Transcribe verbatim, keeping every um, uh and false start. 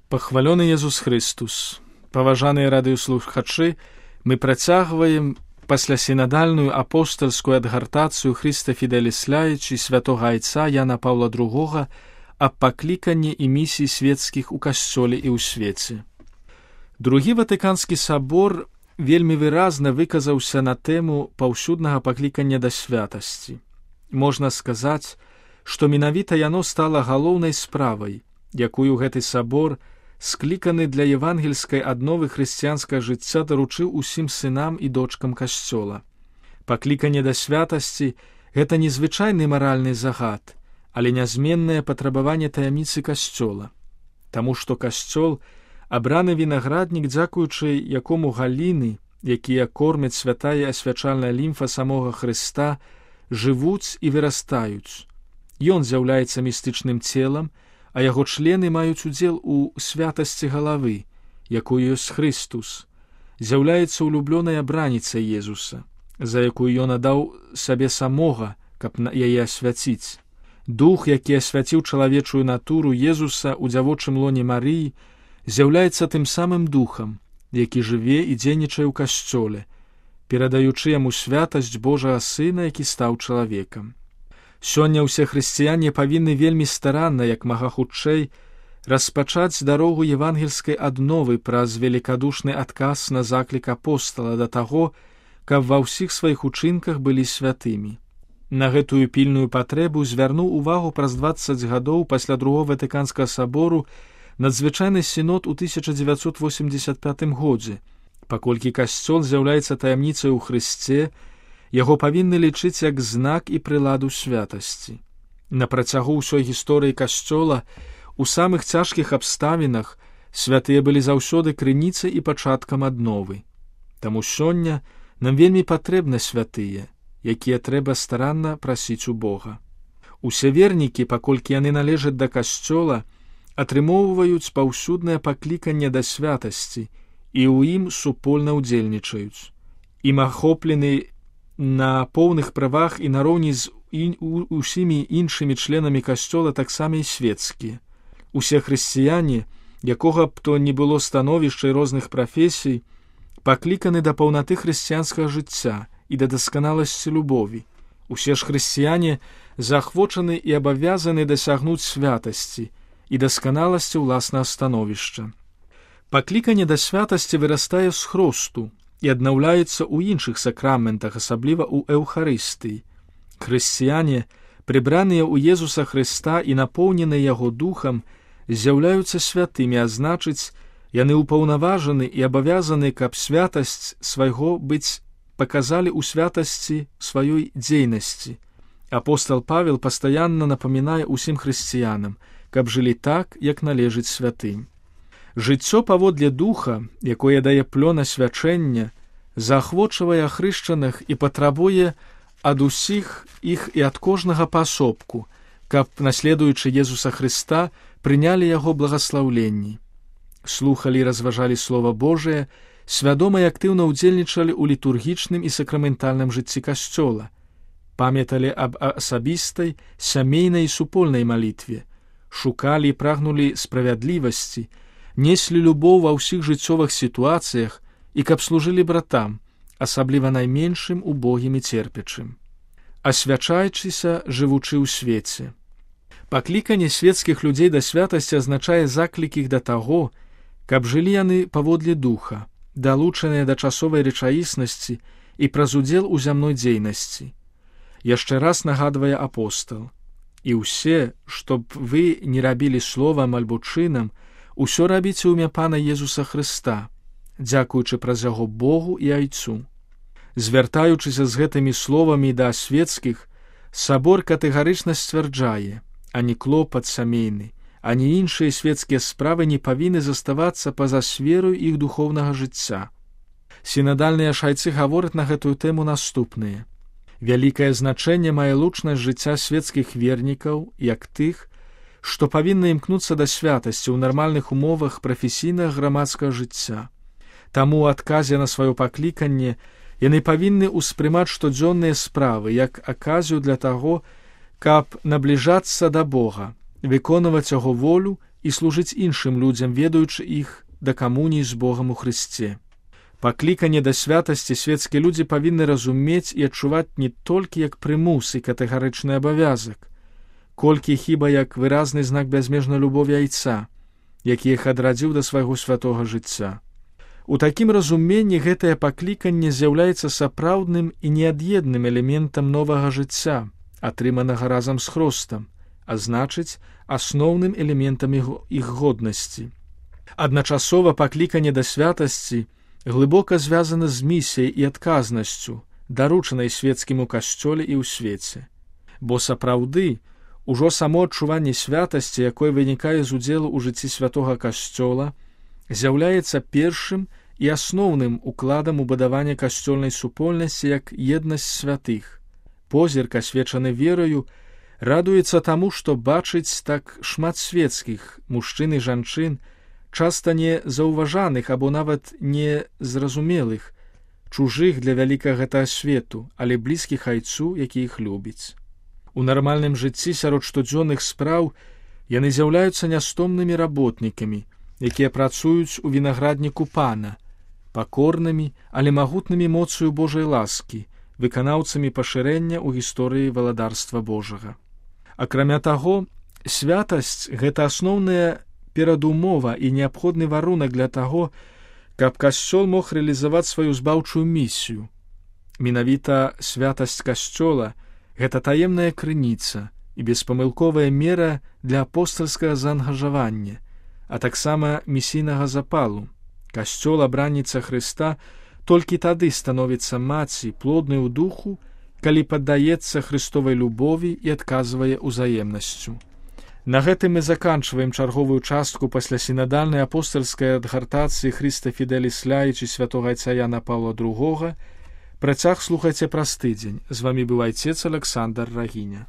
Пахвалёны Езус Христус. Паважаныя радыёслухачы, мы працягваем паслясінадальную апостальскую адгартацыю Христа Фіделіс Ляйчі святога айца Яна Паўла другога аб пакліканні і місіі свецкіх у касцёле і ў свеце. Другі Ватыканскі сабор вельмі выразна выказаўся на тэму паўсюднага паклікання да святасці. Можна сказаць, што менавіта яно стала галоўнай справай, якую гэты сабор, скліканы для евангельскай адновы хрысціянскага жыцця, даручыў усім сынам і дочкам касцёла. Пакліканне да святасці – гэта незвычайны маральны загад, але нязменнае патрабаванне таямніцы касцёла. Таму што касцёл – абраны вінаграднік, дзякуючы якому галіны, якія кормяць святая асвячальная лімфа самога Хрыста, жывуць і вырастаюць. Ён з'яўляецца містычным целам, а яго члены маюць удзел у святасці галавы, якую ёсць Христус, з'яўляецца улюблёнай абраніцай Езуса, за якую ён аддаў сабе самога, каб яе асвяціць. Дух, які асвяціў чалавечую натуру Езуса ў дзявочым лоне Марыі, з'яўляецца тым самым духам, які жыве і дзейнічае ў касцёле, перадаючы яму святасць Божага Сына, які стаў чалавекам. Сёння ўсе хрысціяне павінны вельмі старанна, як мага хутчэй, распачаць дарогу евангельскай адновы праз велікадушны адказ на заклік апостала да таго, каб ва ўсіх сваіх учынках былі святымі. На гэтую пільную патрэбу звярнуў увагу праз дваццаць гадоў пасля другога Ватыканскага сабору надзвычайны сінод у тысяча дзевяцьсот восемьдесят пятым годзе. Паколькі касцёл з'яўляецца таямніцай у Хрысце, яго павінны лічыць як знак і прыладу святасці. На працягу ўсёй гісторыі касцёла, у самых цяжкіх абставінах, святыя былі заўсёды крыніцай і пачаткам адновы. Таму сёння нам вельмі патрэбны святыя, якія трэба старанна прасіць у Бога. Усе вернікі, паколькі яны належаць да касцёла, атрымоўваюць паўсюднае пакліканне да святасці і ў ім супольна ўдзельнічаюць. Ім ахоплены на поўных правах і нароўні з ін, у, усімі іншымі членамі касцёла таксама і свецкія. Усе хрысціяне, якога б то не было становішча і розных прафесій, пакліканы да паўнаты хрысціянскага жыцця і да дасканаласці любові. Усе ж хрысціяне заахвочаны і абавязаны дасягнуць святасці і дасканаласці ўласнага становішча. Пакліканне да святасці вырастае з хросту і аднаўляецца ў іншых сакраментах, асабліва ў Эўхарыстыі. Хрысціяне, прыбраныя ў Езуса Хрыста і напоўненыя яго духам, з'яўляюцца святымі, а значыць, яны ўпаўнаважаны і абавязаны, каб святасць свайго быць паказалі ў святасці сваёй дзейнасці. Апостал Павел пастаянна напамінае ўсім хрысціянам, каб жылі так, як належыць святым. Жыццё паводле духа, якое дае плён асвячэння, заахвочвае ахрышчаных і патрабуе ад усіх іх і ад кожнага паасобку, каб, наследуючы Езуса Хрыста, прынялі яго благаслаўленні. Слухалі і разважалі Слова Божае, свядома і актыўна ўдзельнічалі ў літургічным і сакраментальным жыцці касцёла, памяталі аб асабістай, сямейнай і супольнай малітве, шукалі і прагнулі справядлівасці, неслі любоў ва ўсіх жыццёвых сітуацыях і каб служылі братам, асабліва найменшым, убогім і церпячым. Асвячаючыся, жывучы ў свеце. Пакліканне свецкіх людзей да святасці азначае заклік іх да таго, каб жылі яны паводле духа, далучаныя да часовай рэчаіснасці і праз удзел у зямной дзейнасці. Яшчэ раз нагадвае апостал: «І ўсе, што б вы не рабілі словам альбо чынам, усё рабіце ў імя Пана Езуса Хрыста, дзякуючы праз яго Богу і Айцу». Звяртаючыся з гэтымі словамі да свецкіх, сабор катэгарычна сцвярджае: ані клопат сямейны, ані іншыя свецкія справы не павінны заставацца па-за сферою іх духоўнага жыцця. Сінадальныя шайцы гавораць на гэтую тэму наступнае. Вялікае значэнне мае лучнасць жыцця свецкіх вернікаў, як тых, што павінны імкнуцца да святасці ў нармальных умовах прафесійнага грамадскага жыцця. Таму ў адказе на сваё пакліканне яны павінны ўспрымаць штодзённыя справы як аказію для таго, каб набліжацца да Бога, выконваць яго волю і і служыць іншым людзям, ведаючы іх да камуніі з Богам у Хрысце. Пакліканне да святасці свецкія людзі павінны разумець і адчуваць не толькі як прымус і катэгарычны абавязак, колькі хіба як выразны знак бязмежнай любові Айца, які іх адрадзіў да свайго святога жыцця. У такім разуменні гэтае пакліканне з'яўляецца сапраўдным і неад'едным элементам новага жыцця, атрыманага разам з Хрыстом, а значыць, асноўным элементам іх годнасці. Адначасова пакліканне да святасці глыбока звязана з місіяй і адказнасцю, даручанай свецкім у касцёле і ў свеце. Бо сапраўды, ужо само адчуванне святасці, якое вынікае з удзелу ў жыцці святога касцёла, з'яўляецца першым і асноўным укладам у будаванне касцёльнай супольнасці як еднасць святых. Позірк, асвечаны верою, радуецца таму, што бачыць так шмат свецкіх, мужчын і жанчын, часта не заўважаных або нават не зразумелых, чужых для вялікага гэтага свету, але блізкіх Айцу, які іх любіць. У нармальным жыцці сярод штодзённых спраў яны з'яўляюцца нястомнымі работнікамі, якія працуюць у вінаградніку Пана, пакорнымі, але магутнымі моцаю Божай ласкі, выканаўцамі пашырэння ў гісторыі валадарства Божага. Акрамя таго, святасць – гэта асноўная перадумова і неабходны варунак для таго, каб касцёл мог рэалізаваць сваю збаўчую місію. Менавіта святасць касцёла – гэта таемная крыніца і беспамылковая мера для апостальскага заангажавання, а таксама місійнага запалу. Касцёл, абранніца Хрыста, толькі тады становіцца маці, плоднай у духу, калі паддаецца Хрыстовай любові і адказвае ўзаемнасцю. На гэтым мы заканчваем чарговую частку пасля сінадальнай апостальскай адгартацыі Хрыста Фідэліс Ляіч і святога Айца Яна Паўла другога. Працяг слухайце праз тыдзень. З вамі быў айцец Александр Рагіня.